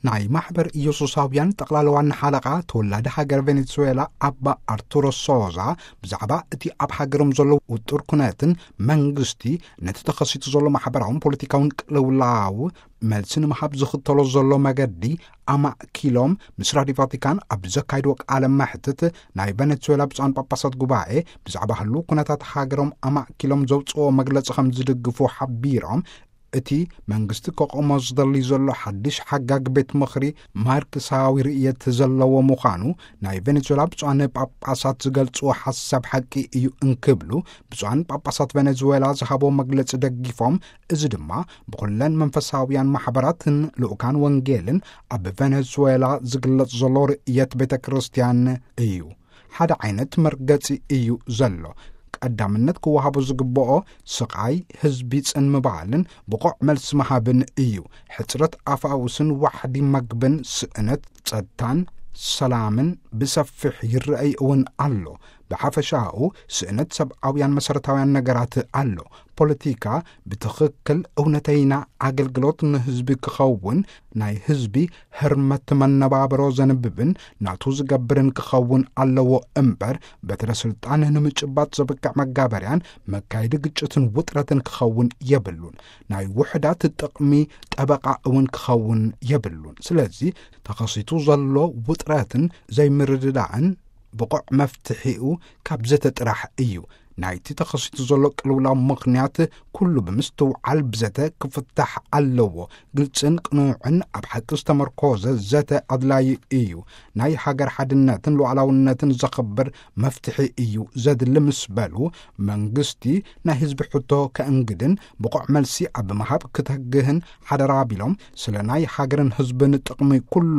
ናይ ማሕበር ኢየሱሳውያን ጠቕላላ ዋና ሓለቓ ተወላዲ ሃገር ቬኔዙዌላ ኣባ ኣርቱሮ ሶዛ ብዛዕባ እቲ ኣብ ሃገሮም ዘሎ ውጡር ኩነትን መንግስቲ ነቲ ተኸሲቱ ዘሎ ማሕበራውን ፖለቲካውን ቅልውላው መልሲ ንምሃብ ዝኽተሎ ዘሎ መገዲ ኣማእኪሎም ምስ ራዲዮ ቫቲካን ኣብ ዘካይድዎ ቃለ መሕትት፣ ናይ ቬኔዙዌላ ብፁዓን ጳጳሳት ጉባኤ ብዛዕባ ህሉ ኩነታት ሃገሮም ኣማእኪሎም ዘውፅኦ መግለፂ ከም ዝድግፉ ሓቢሮም፣ እቲ መንግስቲ ከቆሞ ዝደሊ ዘሎ ሓድሽ ሓጋግ ቤት ምኽሪ ማርክሳዊ ርእየት ዘለዎ ምዃኑ ናይ ቬኔዙዌላ ብፁዓን ጳጳሳት ዝገልጽዎ ሓሳብ ሓቂ እዩ እንክብሉ ብፁዓን ጳጳሳት ቬኔዙዌላ ዝሃቦ መግለጺ ደጊፎም፣ እዚ ድማ ብኹለን መንፈሳውያን ማሕበራትን ልኡካን ወንጌልን ኣብ ቬኔዙዌላ ዝግለጽ ዘሎ ርእየት ቤተ ክርስቲያን እዩ። ሓደ ዓይነት መርገጺ እዩ ዘሎ። ቀዳምነት ክወሃቦ ዝግብኦ ስቓይ ህዝቢ ጽን ምባልን ብቑዕ መልሲ ምሃብን እዩ። ሕጽረት ኣፋውስን ዋሕዲ መግብን ስእነት ጸጥታን ሰላምን ብሰፊሕ ይረኣይ እውን ኣሎ። ብሓፈሻኡ ስእነት ሰብኣውያን መሰረታውያን ነገራት ኣሎ። ፖለቲካ ብትኽክል እውነተይና ኣገልግሎት ንህዝቢ ክኸውን፣ ናይ ህዝቢ ህርመት መነባብሮ ዘንብብን ናቱ ዝገብርን ክኸውን ኣለዎ እምበር፣ በትረ ስልጣን ንምጭባጥ ዘብቅዕ መጋበርያን መካየዲ ግጭትን ውጥረትን ክኸውን የብሉን። ናይ ውሕዳት ጥቕሚ ጠበቓ እውን ክኸውን የብሉን። ስለዚ ተኸሲቱ ዘሎ ውጥረትን ዘይምርድዳእን ብቑዕ መፍትሒኡ ካብ ዘተ ጥራሕ እዩ። ናይቲ ተኸሲቱ ዘሎ ቅልውላው ምኽንያት ኩሉ ብምስትውዓል ብዘተ ክፍታሕ ኣለዎ። ግልጽን ቅኑዕን ኣብ ሓቂ ዝተመርኮዘ ዘተ ኣድላዪ እዩ። ናይ ሃገር ሓድነትን ሉዓላውነትን ዘኽብር መፍትሒ እዩ ዘድሊ ምስ በሉ፣ መንግስቲ ናይ ህዝቢ ሕቶ ከእንግድን ብቑዕ መልሲ ኣብ ምሃብ ክተግህን ሓደራ ቢሎም፣ ስለ ናይ ሃገርን ህዝብን ጥቕሚ ኩሉ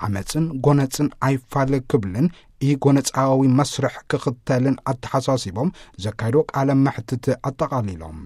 ዓመፅን ጎነፅን ኣይፋል ክብልን ኢጎነፃዊ መስርሕ ክኽተልን ኣተሓሳሲቦም ዘካይዶ ቃለ መሕትት ኣጠቓሊሎም።